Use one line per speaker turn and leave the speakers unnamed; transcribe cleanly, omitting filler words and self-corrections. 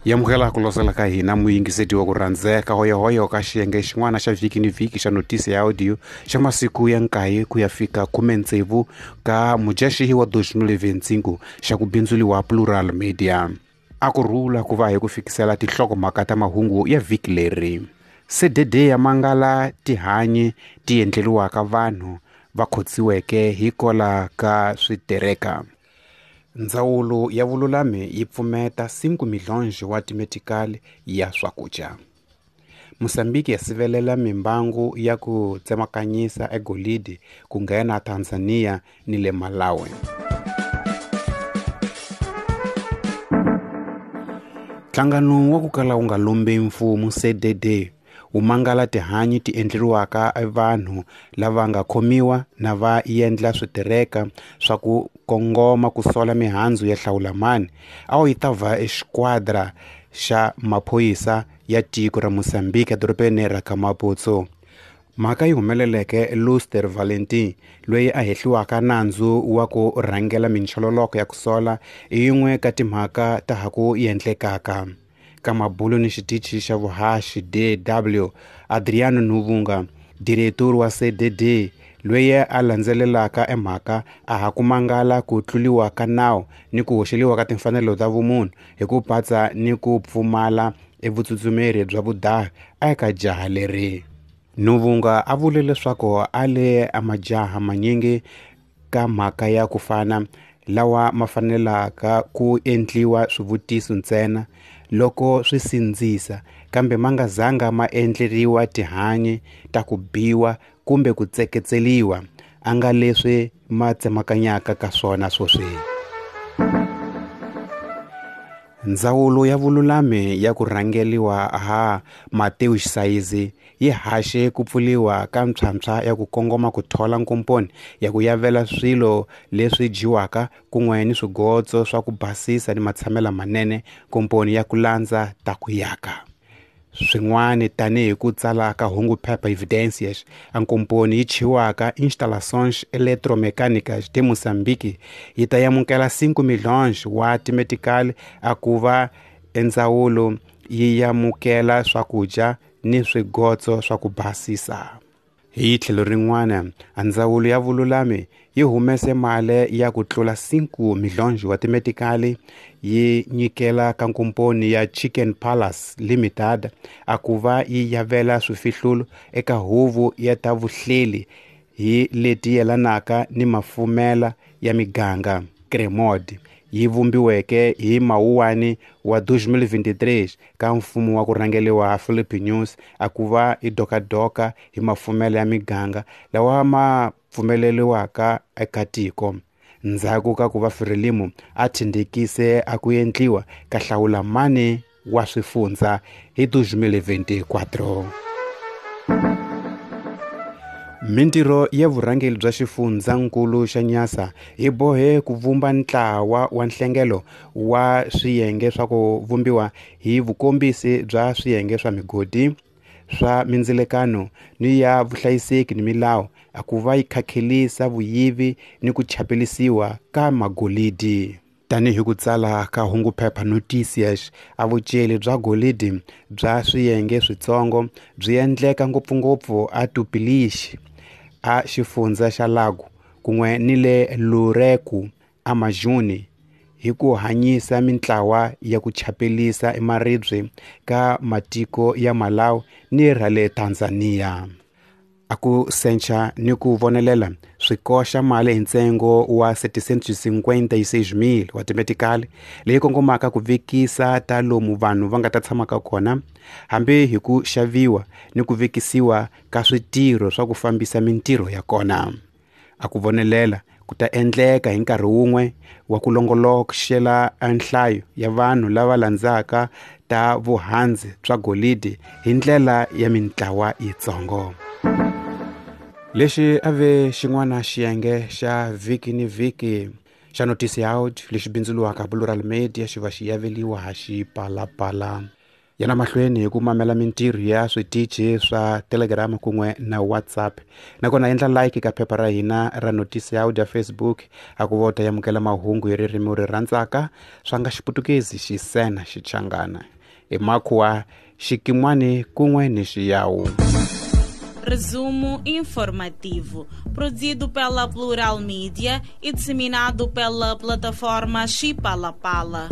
Yamukela ku losela ka hina muyingiseti wa ku rhandzeka hoyohoyo ka xiyenge xin'wana xa vhiki ni vhiki xa notisi ya audio xa masiku ya 9 ku ya fika 16 ka Mudyaxihi wa 2025 xa ku bindzuliwa Plural Media. A ku rhula ku va hi ku fikisela tinhlokomhaka ta mahungu ya vhiki leri. CDD ya mangala tihanyi ti endleriwaka vanhu va khotsiweke hikola ka switereka. Ndzawulo ya vululami yi pfumeta 5 milhonji wa timetikali ya swakudya. Mozambique ya sivelela mimbangu ya ku tsemakanyisa egolidi ku nghena Tanzania ni le Malawi. Nhlangano wa ku kala wu nga lombi mfumo CDD wu mangala tihanyi ti endleriwaka vanhu lava nga khomiwa na va endla switereka swa ku kongoma ku sola mihandzu ya hlawulamani a wu yi ta va exquadra xa maphorisa ya tiko ra Mozambique edorobeni ra Maputo. Mhaka yi humeleleke Luster Valentin loyi a hehliwaka nandzu wa ku rhangela minchololoko ya ku sola i yin'we ka timhaka ta ha ku endlekaka. Ka mabulo ni xitichi xa vuhaxi DW Adriano Nuvunga, diretori wa CDD loyi a landzelelaka emhaka a ha ku mangala ku tluliwa ka nawu ni ku hoxeliwa ka timfanelo ta vumunhu hi ku patsa ni ku pfumala evutsutsumeri bya vudahi eka jaha leri. Nuvunga a vule leswaku a le a majaha manyingi ka mhaka ya ku fana lawa ma fanelaka ku endliwa swivutiso ntsena loko swi sindzisa kambe ma nga zanga ma endleriwa tihanyi ta ku biwa kumbe ku tseketseliwa a nga leswi ma tsemakanyaka ka swona swoswi. Ndzawulo ya vululami ya ku rhangeliwa ha Mateus Saizi yi haxe ku pfuliwa ka mpshampsha ya ku kongoma ku thola nkomponi ya ku yavela swilo leswi dyiwaka kun'we ni swigotso swa ku basisa ni matshamelo manene komponi ya ku landza ta ku yaka. Swin'wana tanihi ku tsala ka hungu phepha Evidências, a nkomponi yi chiwaka Instalações Eletromecânicas de Moçambique yi ta amukela 5 milhões wa timetikali a ku va endzawulo yi amukela swakudya ni swigotso swa ku basisa. Hi tlhelo rin'wana, ndzawulo ya vululami yi humese mali ya ku tlula 5 milhonji wa timetikali yi nyikela ka nkomponi ya Chicken Palace Limited a ku va yi yavela swifihlulo eka huvo ya ta vuhleli hi leti yelanaka ni mafumela ya miganga CREMOD yi vumbiweke hi Mawuwani wa 2023 ka mfumo wa ku rhangeliwa Philippe News a ku va i dokadoka hi mafumelo ya miganga lawa ma pfumeleriwaka eka tiko. Ndzhaku ka ku va Frelimo a thindikise a ku endliwa ka hlawula mani wa swifundza hi 2024. Mintirho ya vurhangeri bya xifundzankulu xa Nyasa yi bohe ku vumba ntlawa wa nhlengelo wa swiyenge swa ku vumbiwa hi vukombisi bya swiyenge swa migodi swa mindzilekano ni ya vuhlayiseki ni milawu a ku va yi khakhelisa vuyivi ni ku chapelisiwa ka magolidi. Tanihi ku tsala ka hungu phepha Noticias, a vuceli bya golidi bya swiyenge switsongo byi endleka ngopfungopfu a Tupilixi a xifundza xa Lago kun'we ni le Lureku a Majuni hi ku hanyisa mintlawa ya ku chapelisa emaribye ka matiko ya Malawi ni ra le Tanzania. A ku sencha ni ku vonelela swi koxa mali hi ntsengo wa 756,000 wa timetikali leyi kongomaka ku vekisa ta lomu vanhu va nga ta tshamaka kona hambi hi ku xaviwa ni ku vekisiwa ka switirho swa ku fambisa mintirho ya kona. A ku vonelela ku ta endleka hi nkarhi wun'we wa ku longoloxela nhlayo ya vanhu lava landzaka ta vuhandzi bya golidi hi ndlela ya mintlawa yitsongo. Lexi a ve xin'wana xiyenge xa vhiki ni vhiki xa Notisi Out lexi bindzuriwaka Plural Media xi va xi yaveliwa ha xipalapala. Yana mahlweni hi ku mamela mintirho ya switichi swa Telegram kun'we na WhatsApp, nakona endla like ka phepha ra hina ra Notisi ya Audio Facebook a ku va u ta amukela mahungu hi ririmi u ri rhandzaka, swa nga Xiputukezi, Xisena, Xichangana, Emakhuwa, Xikin'wani kun'we ni Xiyawu.
Resumo informativo, produzido pela Plural Mídia e disseminado pela plataforma Chipalapala.